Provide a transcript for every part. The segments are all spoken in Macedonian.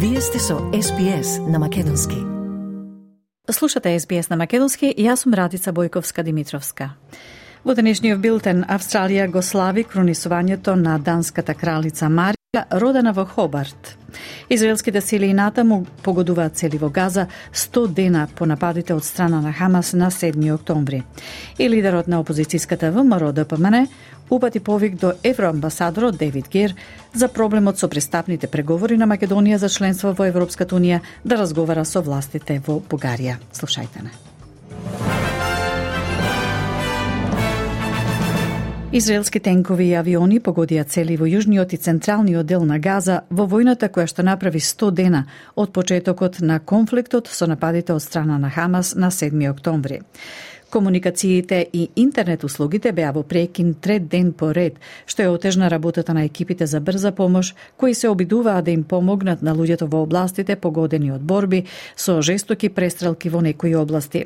Вие сте со SBS на Македонски. Слушате SBS на Македонски и јас сум Радица Бојковска-Димитровска. Во денешниот билтен Австралија го слави кронисувањето на данската кралица Марија, родена во Хобарт. Израелските сили и натаму погодуваат цели во Газа 100 дена по нападите од страна на Хамас на 7 октомври. И лидерот на опозицијската ВМРО ДПМН упати повик до евроамбасадорот Дейвид Гер за проблемот со пристапните преговори на Македонија за членство во Европската унија да разговара со властите во Бугарија. Слушајте не. Израелски тенкови и авиони погодија цели во јужниот и централниот дел на Газа во војната која што направи 100 дена од почетокот на конфликтот со нападите од страна на Хамас на 7 октомври. Комуникациите и интернет услугите беа во прекин трет ден по ред, што ја отежна работата на екипите за брза помош, кои се обидуваа да им помогнат на луѓето во областите погодени од борби со жестоки престрелки во некои области.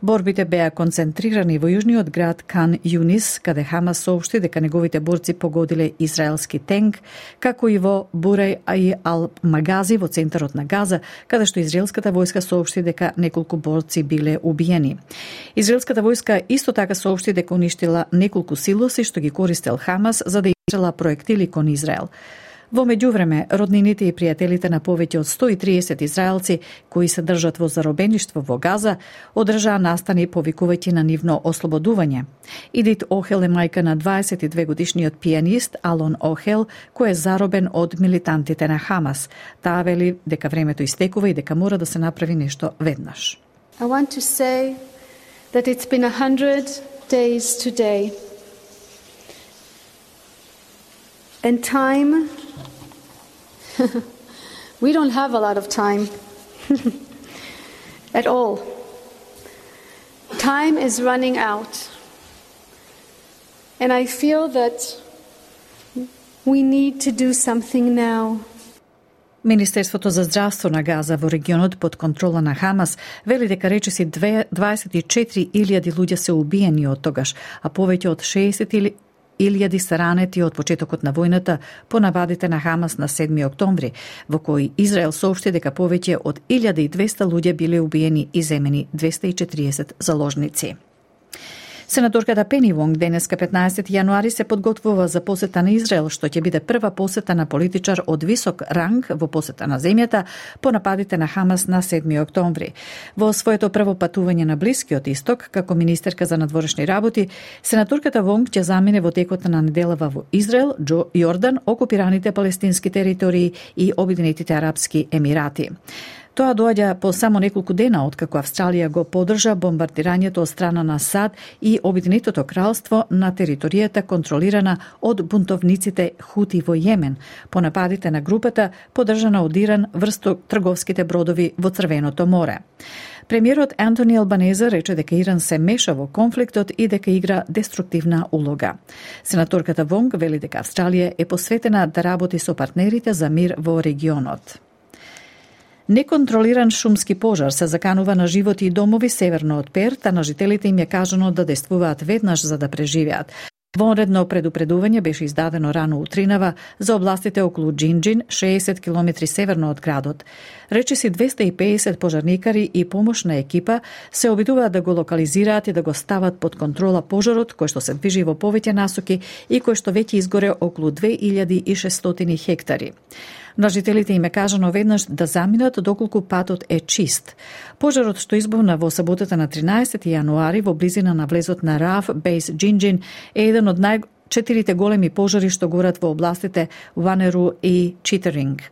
Борбите беа концентрирани во јужниот град Кан Юнис, каде Хамас соопшти дека неговите борци погодиле израелски тенк, како и во Бурај и Ал-Магази во центарот на Газа, каде што израелската војска соопшти дека неколку борци биле убиени. Израелската војска исто така соопшти дека уништила неколку силоси што ги користел Хамас за да изстрела проектили кон Израел. Во меѓувреме, роднините и пријателите на повеќе од 130 израелци кои се држат во заробеништво во Газа одржаа настани повикувајќи на нивно ослободување. Идит Охел е мајка на 22 годишниот пианист Алон Охел, кој е заробен од милитантите на Хамас. Таа вели дека времето истекува и дека мора да се направи нешто веднаш. I want to say that it's been 100 days today. And time we don't have a lot of time at all. Time is running out. And I feel that we need to do something now. Министерството за здравство на Газа во регионот под контрола на Хамас вели дека речиси 24.000 луѓе се убиени од тогаш, а повеќе од 60.000 се ранети од почетокот на војната по нападите на Хамас на 7 октомври, во кој Израел соопшти дека повеќе од 1200 луѓе биле убиени и земени 240 заложници. Сенаторката Пени Вонг денеска 15 јануари се подготвува за посета на Израел, што ќе биде прва посета на политичар од висок ранг во посета на земјата по нападите на Хамас на 7 октомври. Во своето прво патување на Блискиот Исток, како министерка за надворешни работи, сенаторката Вонг ќе замине во текот на неделава во Израел, Јордан, окупираните палестински територии и Обединетите арапски емирати. Тоа доаѓа по само неколку дена откако Австралија го поддржа бомбардирањето од страна на САД и Обединетото кралство на територијата контролирана од бунтовниците Хути во Јемен, по нападите на групата поддржана од Иран врз трговските бродови во Црвеното море. Премиерот Антони Албанезе рече дека Иран се меша во конфликтот и дека игра деструктивна улога. Сенаторката Вонг вели дека Австралија е посветена да работи со партнерите за мир во регионот. Неконтролиран шумски пожар се заканува на животи и домови северно од Перт, а на жителите им е кажано да действуваат веднаш за да преживеат. Вонредно предупредување беше издадено рано утринава за областите околу Джинджин, 60 км северно од градот. Речиси 250 пожарникари и помошна екипа се обидуваат да го локализираат и да го стават под контрола пожарот, кој што се движи во повеќе насоки и кој што веќе изгоре околу 2600 хектари. На жителите им е кажано веднаш да заминат доколку патот е чист. Пожарот што избувна во саботата на 13 јануари во близина на влезот на Раф Бейс Джинджин е еден од четирите големи пожари што горат во областите Ванеру и Читеринг.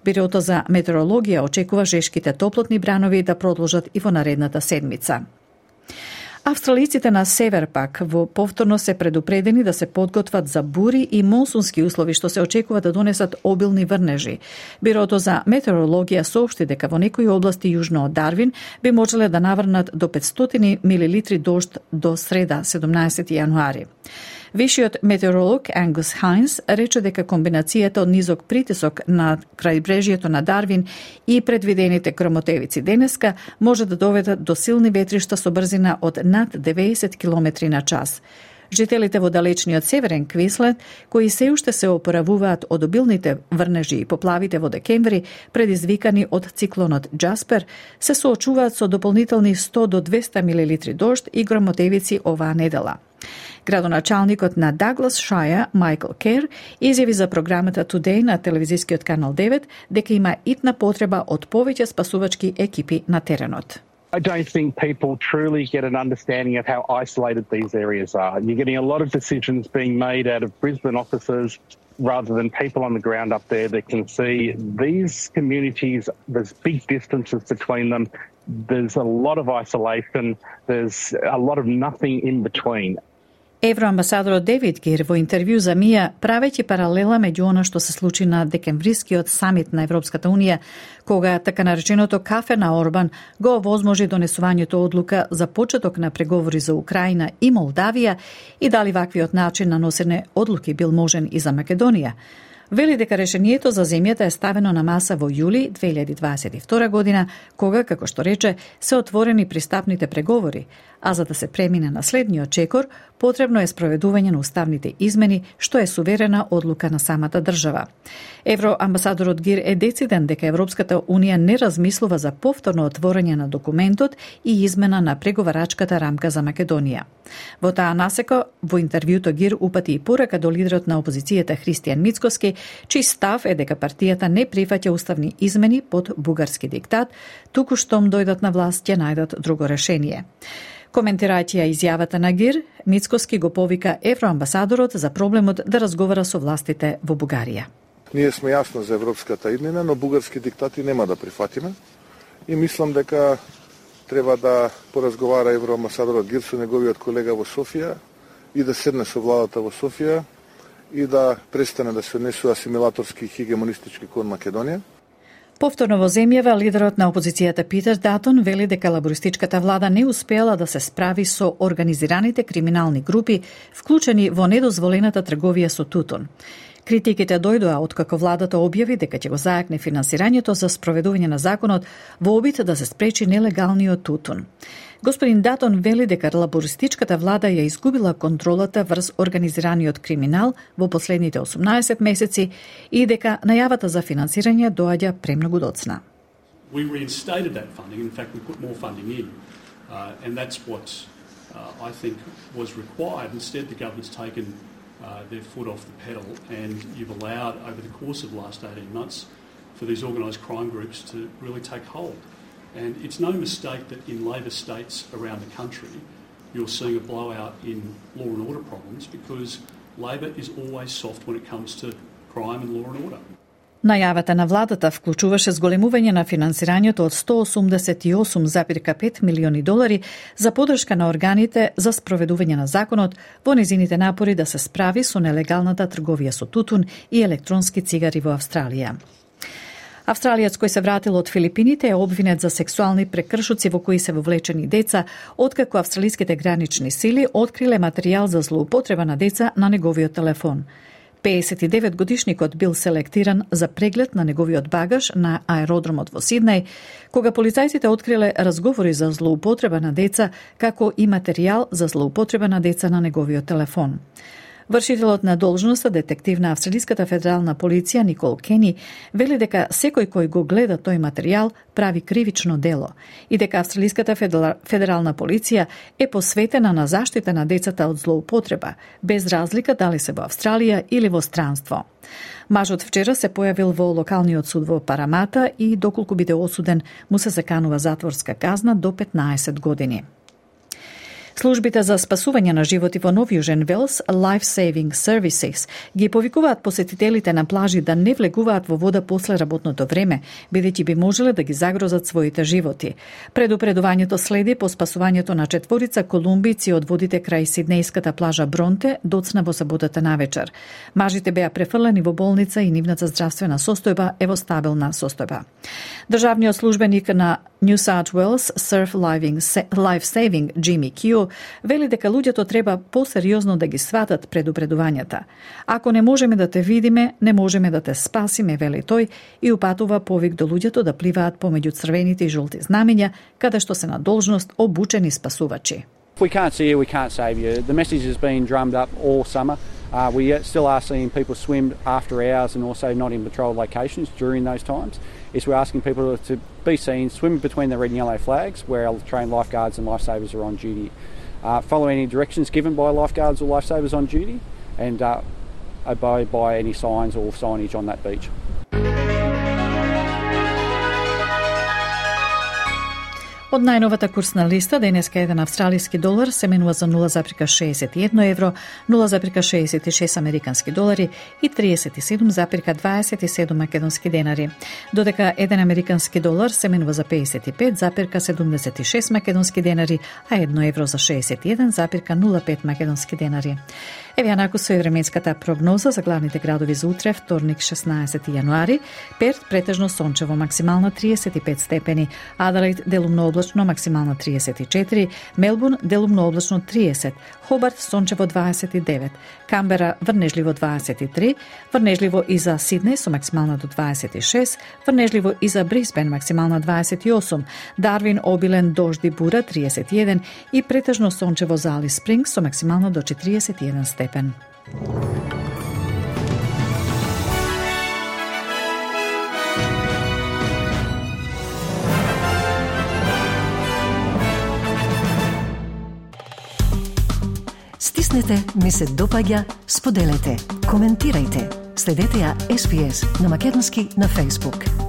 Бирото за метеорологија очекува жешките топлотни бранови да продолжат и во наредната седмица. Австралиците на север пак во повторно се предупредени да се подготват за бури и монсунски услови што се очекува да донесат обилни врнежи. Бирото за метеорологија соопшти дека во некои области јужно од Дарвин би можеле да наврнат до 500 милилитри дожд до среда 17 јануари. Вишиот метеоролог Ангус Хайнс рече дека комбинацијата од низок притисок на крајбрежјето на Дарвин и предвидените громотевици денеска може да доведат до силни ветришта со брзина од над 90 км на час. Жителите во далечниот северен Квинсленд, кои се уште се опоравуваат од обилните врнежи и поплавите во декември, предизвикани од циклонот Джаспер, се соочуваат со дополнителни 100 до 200 милилитри дожд и громотевици оваа недела. Градоначалникот на Даглас Шаја, Майкл Кер, изјави за програмата Today на телевизискиот канал 9 дека има итна потреба од повеќе спасувачки екипи на теренот. I don't think people truly get an understanding of how isolated these areas are. You're getting a lot of decisions being made out of Brisbane offices rather than people on the ground up there that can see these communities, there's big distances between them, there's a lot of isolation, there's a lot of nothing in between. Евроамбасадорот Девид Гир во интервју за МИА, правејќи паралела меѓу она што се случи на декемврискиот самит на Европската Унија, кога така нареченото кафе на Орбан го овозможи донесувањето одлука за почеток на преговори за Украина и Молдавија и дали ваквиот начин на носене одлуки бил можен и за Македонија. Вели дека решението за земјата е ставено на маса во јули 2022 година, кога, како што рече, се отворени пристапните преговори, а за да се премине на следниот чекор, потребно е спроведување на уставните измени, што е суверена одлука на самата држава. Евроамбасадорот Гир е дециден дека Европската Унија не размислува за повторно отворање на документот и измена на преговарачката рамка за Македонија. Во таа насека, во интервјуто Гир упати и порака до лидерот на опозицијата Христијан Мицкоски, чиј став е дека партијата не прифаќа уставни измени под бугарски диктат, туку штом дојдат на власт ќе најдат друго решение. Коментирајќи ја изјавата на Гир, Мицкоски го повика евроамбасадорот за проблемот да разговара со властите во Бугарија. Ние сме јасно за европската иднина, но бугарски диктати нема да прифатиме и мислам дека треба да поразговара евроамбасадорот Гир со неговиот колега во Софија и да седне со владата во Софија и да престане да се однесува асимилаторски и хегемонистички кон Македонија. Повторно во земјава, лидерот на опозицијата Питер Датон вели дека лабористичката влада не успеала да се справи со организираните криминални групи, вклучени во недозволената трговија со тутун. Критиките дојдоа откако владата објави дека ќе го зајакне финансирањето за спроведување на законот во обид да се спречи нелегалниот тутун. Господин Датон вели дека лабористичката влада ја изгубила контролата врз организираниот криминал во последните 18 месеци и дека најавата за финансирање доаѓа премногу доцна. We reinstated that funding. In fact, we put more funding in. And that's what I think was required. Instead, the government's taken their foot off the pedal, and you've allowed, over the course of the last 18 months, for these organised crime groups to really take hold. And it's no mistake that in Labor states around the country, you're seeing a blowout in law and order problems because Labor is always soft when it comes to crime and law and order. Најавата на владата вклучуваше зголемување на финансирањето од $188,5 милиони за подршка на органите за спроведување на законот во незините напори да се справи со нелегалната трговија со тутун и електронски цигари во Австралија. Австралијац кој се вратил од Филипините е обвинет за сексуални прекршоци во кои се вовлечени деца, откако австралиските гранични сили откриле материјал за злоупотреба на деца на неговиот телефон. 59-годишникот бил селектиран за преглед на неговиот багаж на аеродромот во Сиднеј, кога полицајците откриле разговори за злоупотреба на деца, како и материјал за злоупотреба на деца на неговиот телефон. Вршителот на должноста, детектив на Австралиската федерална полиција Никол Кени, вели дека секој кој го гледа тој материјал прави кривично дело и дека Австралиската федерална полиција е посветена на заштита на децата од злоупотреба, без разлика дали се во Австралија или во странство. Мажот вчера се појавил во локалниот суд во Парамата и доколку биде осуден, му се заканува затворска казна до 15 години. Службите за спасување на животи во Нов Јужен Велс, Life Saving Services, ги повикуваат посетителите на плажи да не влегуваат во вода после работното време, бидејќи би можеле да ги загрозат своите животи. Предупредувањето следи по спасувањето на 4 колумбици од водите крај сиднејската плажа Бронте доцна во саботата навечер. Мажите беа префрлени во болница и нивната здравствена состојба е во стабилна состојба. Државниот службеник на New South Wales Surf Life Saving Jimmy Q вели дека луѓето треба посериозно да ги сватат предупредувањата. Ако не можеме да те видиме, не можеме да те спасиме, вели тој и упатува повик до луѓето да пливаат помеѓу црвените и жолти знамиња, каде што се на должност обучени спасувачи. If we can't see you, we can't save you. The message has been drummed up all summer. We still are seeing people swim after hours and also not in patrol locations during those times. We're asking people to be seen swim between the red and yellow flags where our trained lifeguards and lifesavers are on duty. Follow any directions given by lifeguards or lifesavers on duty and obey by any signs or signage on that beach. Од најновата курсна листа, денеска еден австралиски долар се менува за 0,61 евро, 0,66 американски долари и 37,27 македонски денари. Додека еден американски долар се менува за 55,76 македонски денари, а 1 евро за 61,05 македонски денари. Еве анаку со временската прогноза за главните градови за утре, вторник 16 јануари. Перт претежно сончево, максимално 35 степени, Аделаид делумно облачно, максимално 34, Мелбурн делумно облачно 30, Хобарт сончево 29, Камбера врнежливо 23, врнежливо и за Сиднеј со максимално до 26, врнежливо и за Брисбен максимално 28, Дарвин обилен дожди бура 31 и претежно сончево за Алис Спрингс со максимално до 41 степен. Стиснете, ми се допаѓа, споделете, коментирајте. Следете ја SPS на Македонски на Facebook.